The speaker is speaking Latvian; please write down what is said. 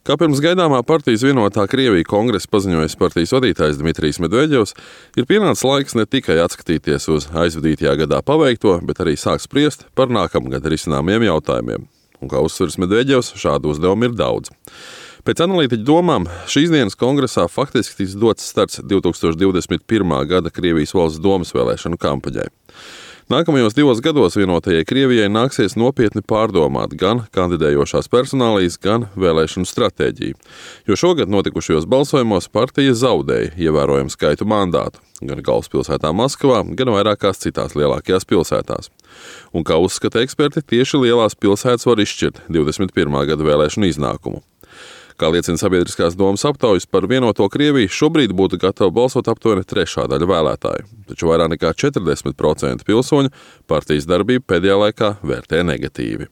Kā pirms gaidāmā partijas vienotā Krievija kongresa paziņojis partijas vadītājs Dmitrijs Medvedevs, ir pienācis laiks ne tikai atskatīties uz aizvadītajā gadā paveikto, bet arī sākt spriest par nākamgad risināmiem jautājumiem. Un kā uzsveras Medvedevs, šādu uzdevumu ir daudz. Pēc analītiķu domām, šīs dienas kongresā faktiski tiks dots starts 2021. gada Krievijas valsts domas vēlēšanu kampaņai. Nākamajos 2 gados vienotajai Krievijai nāksies nopietni pārdomāt gan kandidējošās personālijas, gan vēlēšanu stratēģiju, jo šogad notikušajos balsojumos partija zaudēja ievērojamu skaitu mandātu, gan galvaspilsētā Maskavā, gan vairākās citās lielākajās pilsētās. Un kā uzskata eksperti, tieši lielās pilsētas var izšķirt 21. gada vēlēšanu iznākumu. Kā liecina sabiedriskās domas aptaujas, par vienoto Krieviju šobrīd būtu gatava balsot aptuveni 1/3 daļa vēlētāju, taču vairāk nekā 40% pilsoņu partijas darbību pēdējā laikā vērtē negatīvi.